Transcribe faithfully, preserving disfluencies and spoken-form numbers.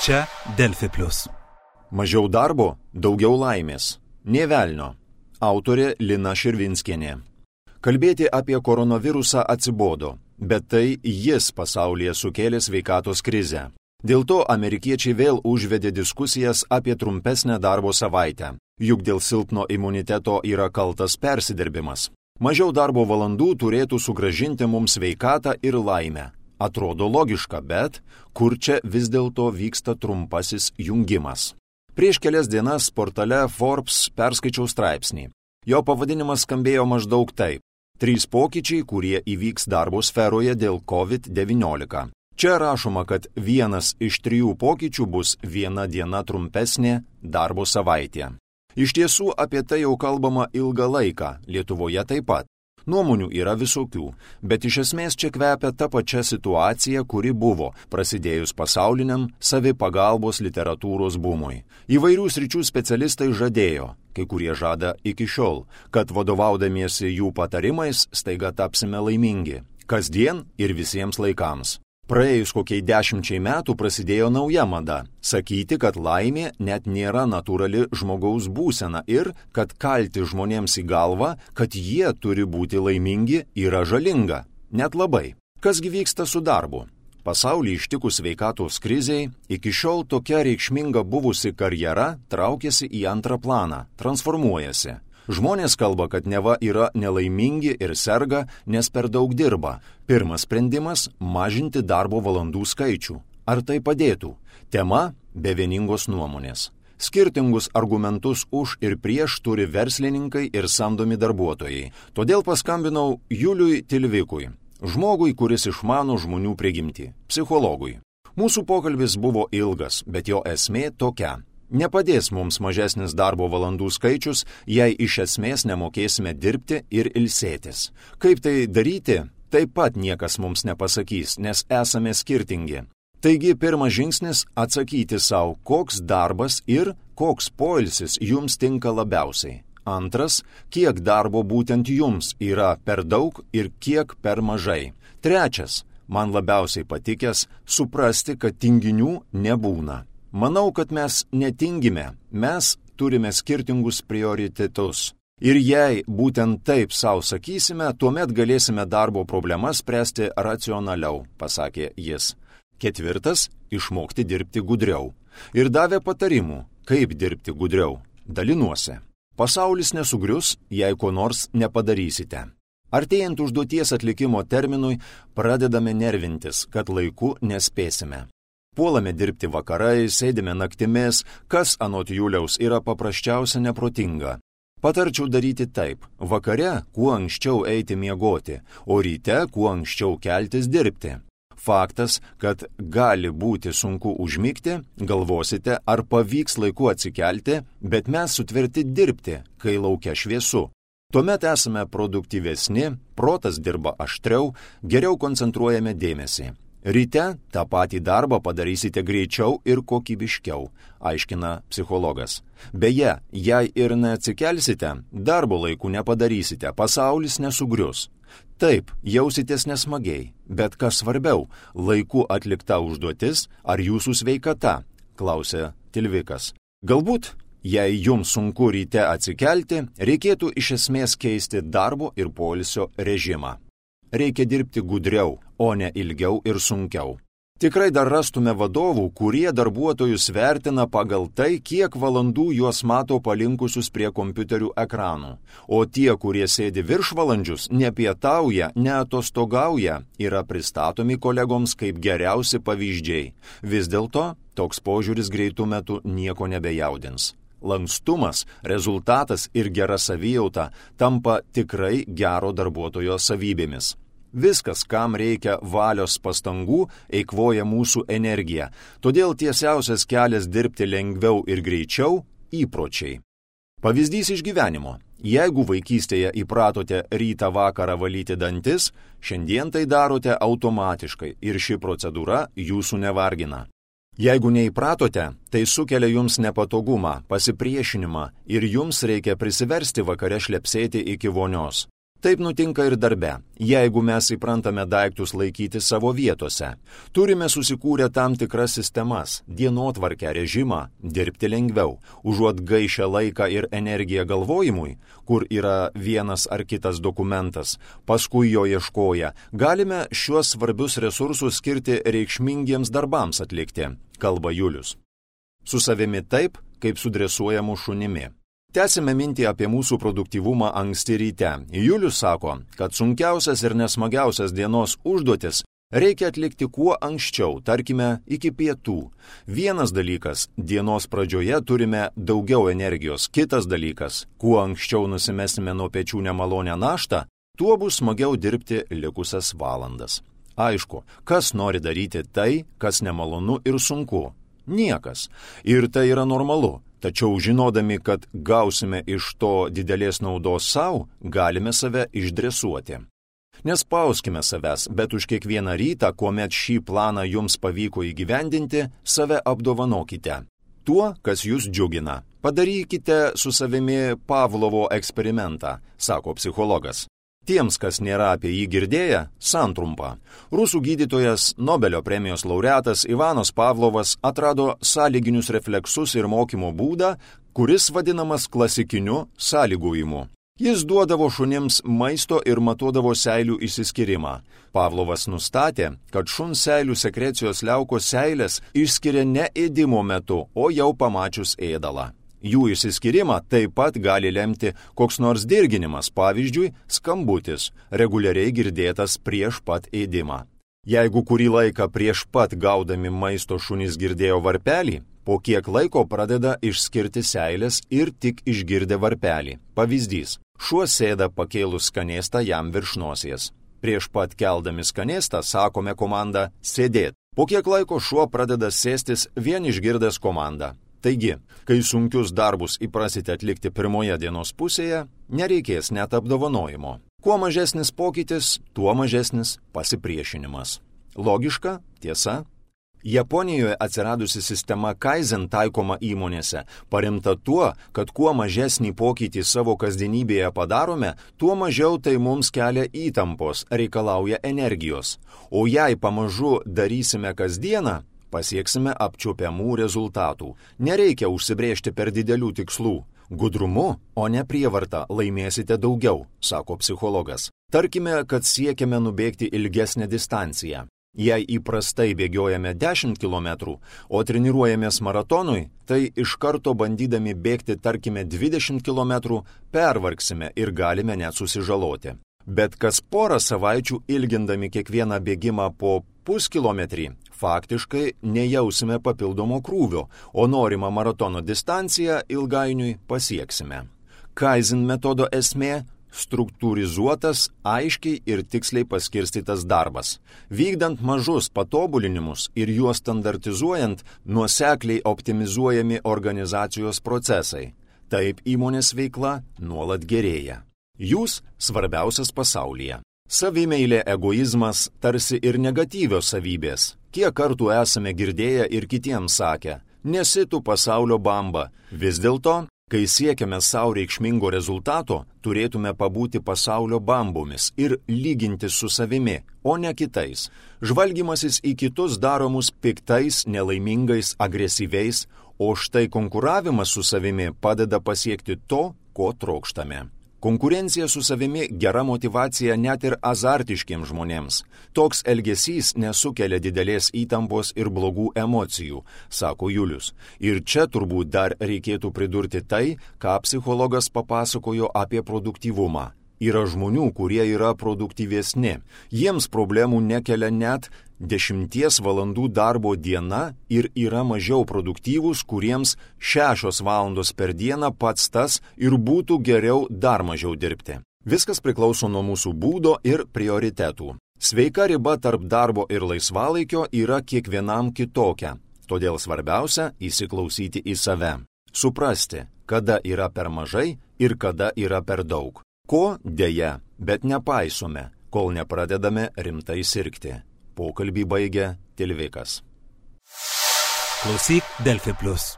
Čia Delfi plius. Mažiau darbo, daugiau laimės. Nė velnio. Autorė Lina Širvinskienė. Kalbėti apie koronavirusą atsibodo, bet tai jis pasaulyje sukėlė sveikatos krizę. Dėl to amerikiečiai vėl užvedė diskusijas apie trumpesnę darbo savaitę, juk dėl silpno imuniteto yra kaltas persidirbimas. Mažiau darbo valandų turėtų sugrąžinti mums sveikatą ir laimę. Atrodo logiška, bet kur čia vis dėlto vyksta trumpasis jungimas? Prieš kelias dienas portale Forbes perskaičiau straipsnį. Jo pavadinimas skambėjo maždaug taip. Trys pokyčiai, kurie įvyks darbo sferoje dėl covid devyniolika. Čia rašoma, kad vienas iš trijų pokyčių bus viena diena trumpesnė darbo savaitė. Iš tiesų apie tai jau kalbama ilgą laiką, Lietuvoje taip pat. Nuomonių yra visokių, bet iš esmės čia kvepia ta pačia situacija, kuri buvo, prasidėjus pasauliniam savipagalbos literatūros bumui. Įvairių sričių specialistai žadėjo, kai kurie žada iki šiol, kad vadovaudamiesi jų patarimais staiga tapsime laimingi, kasdien ir visiems laikams. Praėjus kokiai dešimčiai metų prasidėjo nauja mada – sakyti, kad laimė net nėra natūrali žmogaus būsena ir kad kalti žmonėms į galvą, kad jie turi būti laimingi, yra žalinga. Net labai. Kasgi vyksta su darbu? Pasaulį ištikus sveikatos krizei, iki šiol tokia reikšminga buvusi karjera traukiasi į antrą planą, transformuojasi. Žmonės kalba, kad neva yra nelaimingi ir serga, nes per daug dirba. Pirmas sprendimas – mažinti darbo valandų skaičių. Ar tai padėtų? Tema – be vieningos nuomonės. Skirtingus argumentus už ir prieš turi verslininkai ir samdomi darbuotojai. Todėl paskambinau Juliui Tilvikui, žmogui, kuris išmano žmonių prigimtį, psichologui. Mūsų pokalbis buvo ilgas, bet jo esmė tokia. Nepadės mums mažesnis darbo valandų skaičius, jei iš esmės nemokėsime dirbti ir ilsėtis. Kaip tai daryti, taip pat niekas mums nepasakys, nes esame skirtingi. Taigi pirmas žingsnis – atsakyti savo, koks darbas ir koks poilsis jums tinka labiausiai. Antras – kiek darbo būtent jums yra per daug ir kiek per mažai. Trečias – man labiausiai patikęs – suprasti, kad tinginių nebūna. Manau, kad mes netingime, mes turime skirtingus prioritetus. Ir jei būtent taip savo sakysime, tuomet galėsime darbo problemas spręsti racionaliau, pasakė jis. Ketvirtas – išmokti dirbti gudriau. Ir davė patarimų, kaip dirbti gudriau. Dalinuosi. Pasaulis nesugrius, jei ko nors nepadarysite. Artėjant užduoties atlikimo terminui, pradedame nervintis, kad laiku nespėsime. Puolame dirbti vakarai, sėdime naktimis, kas anot Juliaus yra paprasčiausia neprotinga. Patarčiau daryti taip, vakare kuo anksčiau eiti miegoti, o ryte kuo anksčiau keltis dirbti. Faktas, kad gali būti sunku užmigti, galvosite, ar pavyks laiku atsikelti, bet mes sutverti dirbti, kai laukia šviesu. Tuomet esame produktyvesni, protas dirba aštriau, geriau koncentruojame dėmesį. Ryte tą patį darbą padarysite greičiau ir kokybiškiau, aiškina psichologas. Beje, jei ir neatsikelsite, darbo laiku nepadarysite, pasaulis nesugrius. Taip, jausitės nesmagiai, bet kas svarbiau, laiku atlikta užduotis ar jūsų sveikata, klausė Tilvikas. Galbūt, jei jums sunku ryte atsikelti, reikėtų iš esmės keisti darbo ir poilsio režimą. Reikia dirbti gudriau, o ne ilgiau ir sunkiau. Tikrai dar rastume vadovų, kurie darbuotojus vertina pagal tai, kiek valandų juos mato palinkusius prie kompiuterių ekranų. O tie, kurie sėdi viršvalandžius, nepietauja, neatostogauja, yra pristatomi kolegoms kaip geriausi pavyzdžiai. Vis dėlto, toks požiūris greitų metų nieko nebejaudins. Lankstumas, rezultatas ir gera savijauta tampa tikrai gero darbuotojo savybėmis. Viskas, kam reikia valios pastangų, eikvoja mūsų energiją. Todėl tiesiausias kelias dirbti lengviau ir greičiau – įpročiai. Pavyzdys iš gyvenimo. Jeigu vaikystėje įpratote rytą vakarą valyti dantis, šiandien tai darote automatiškai ir ši procedūra jūsų nevargina. Jeigu neįpratote, tai sukelia jums nepatogumą, pasipriešinimą ir jums reikia prisiversti vakare šlepsėti iki vonios. Taip nutinka ir darbe, jeigu mes įprantame daiktus laikyti savo vietose. Turime susikūrę tam tikras sistemas, dienotvarkę, režimą, dirbti lengviau, užuot gaišę laiką ir energiją galvojimui, kur yra vienas ar kitas dokumentas, paskui jo ieškoja, galime šiuos svarbius resursus skirti reikšmingiems darbams atlikti, kalba Julius. Su savimi taip, kaip su dresuojamu šunimi. Tęsime mintį apie mūsų produktyvumą anksti ryte. Julius sako, kad sunkiausias ir nesmagiausias dienos užduotis reikia atlikti kuo anksčiau, tarkime, iki pietų. Vienas dalykas, dienos pradžioje turime daugiau energijos. Kitas dalykas, kuo anksčiau nusimesime nuo pečių nemalonę naštą, tuo bus smagiau dirbti likusias valandas. Aišku, kas nori daryti tai, kas nemalonu ir sunku? Niekas. Ir tai yra normalu. Tačiau žinodami, kad gausime iš to didelės naudos savo, galime save išdresuoti. Nespauskime savęs, bet už kiekvieną rytą, kuomet šį planą jums pavyko įgyvendinti, save apdovanokite. Tuo, kas jūs džiugina. Padarykite su savimi Pavlovo eksperimentą, sako psichologas. Tiems, kas nėra apie jį girdėję, santrumpa. Rusų gydytojas, Nobelio premijos laureatas Ivanas Pavlovas atrado sąlyginius refleksus ir mokymo būdą, kuris vadinamas klasikiniu sąlygojimu. Jis duodavo šunims maisto ir matuodavo seilių išsiskyrimą. Pavlovas nustatė, kad šuns seilių sekrecijos liaukos seilės išskiria ne ėdimo metu, o jau pamačius ėdalą. Jų išsiskyrimą taip pat gali lemti koks nors dirginimas, pavyzdžiui, skambutis, reguliariai girdėtas prieš pat ėdimą. Jeigu kurį laiką prieš pat gaudami maisto šunys girdėjo varpelį, po kiek laiko pradeda išskirti seilės ir tik išgirdę varpelį. Pavyzdys, šuo sėda pakėlus skanėstą jam virš nosies. Prieš pat keldami skanėstą sakome komandą sėdėt. Po kiek laiko šuo pradeda sėstis vien išgirdęs komandą. Taigi, kai sunkius darbus įprasite atlikti pirmoje dienos pusėje, nereikės net apdovanojimo. Kuo mažesnis pokytis, tuo mažesnis pasipriešinimas. Logiška, tiesa? Japonijoje atsiradusi sistema Kaizen taikoma įmonėse, paremta tuo, kad kuo mažesnį pokytį savo kasdienybėje padarome, tuo mažiau tai mums kelia įtampos, reikalauja energijos. O jei pamažu darysime kasdieną, pasieksime apčiuopiamų rezultatų. Nereikia užsibrėžti per didelių tikslų. Gudrumu, o ne prievarta laimėsite daugiau, sako psichologas. Tarkime, kad siekiame nubėgti ilgesnę distanciją. Jei įprastai bėgiojame dešimt kilometrų, o treniruojamės maratonui, tai iš karto bandydami bėgti, tarkime, dvidešimt kilometrų, pervargsime ir galime net susižaloti. Bet kas porą savaičių ilgindami kiekvieną bėgimą po puskilometrį, faktiškai nejausime papildomo krūvio, o norimą maratono distanciją ilgainiui pasieksime. Kaizen metodo esmė – struktūrizuotas, aiškiai ir tiksliai paskirstytas darbas. Vykdant mažus patobulinimus ir juos standartizuojant, nuosekliai optimizuojami organizacijos procesai. Taip įmonės veikla nuolat gerėja. Jūs svarbiausias pasaulyje. Savimeilė, egoizmas tarsi ir negatyvios savybės. Kiek kartų esame girdėję ir kitiems sakę, nesi tu pasaulio bamba. Vis dėlto, kai siekiame savo reikšmingo rezultato, turėtume pabūti pasaulio bambomis ir lyginti su savimi, o ne kitais. Žvalgymasis į kitus daro mus piktais, nelaimingais, agresyviais, o štai konkuravimas su savimi padeda pasiekti to, ko trokštame. Konkurencija su savimi gera motyvacija net ir azartiškiems žmonėms. Toks elgesys nesukelia didelės įtampos ir blogų emocijų, sako Julius. Ir čia turbūt dar reikėtų pridurti tai, ką psichologas papasakojo apie produktyvumą. Yra žmonių, kurie yra produktyvesni. Jiems problemų nekelia net dešimties valandų darbo diena ir yra mažiau produktyvūs, kuriems šešios valandos per dieną pats tas ir būtų geriau dar mažiau dirbti. Viskas priklauso nuo mūsų būdo ir prioritetų. Sveika riba tarp darbo ir laisvalaikio yra kiekvienam kitokia, todėl svarbiausia įsiklausyti į save. Suprasti, kada yra per mažai ir kada yra per daug. Ko dėja, bet nepaisome, kol nepradedame rimtai sirgti. Pokalbį baigė Tilvikas. Klausyk Delfi Plus.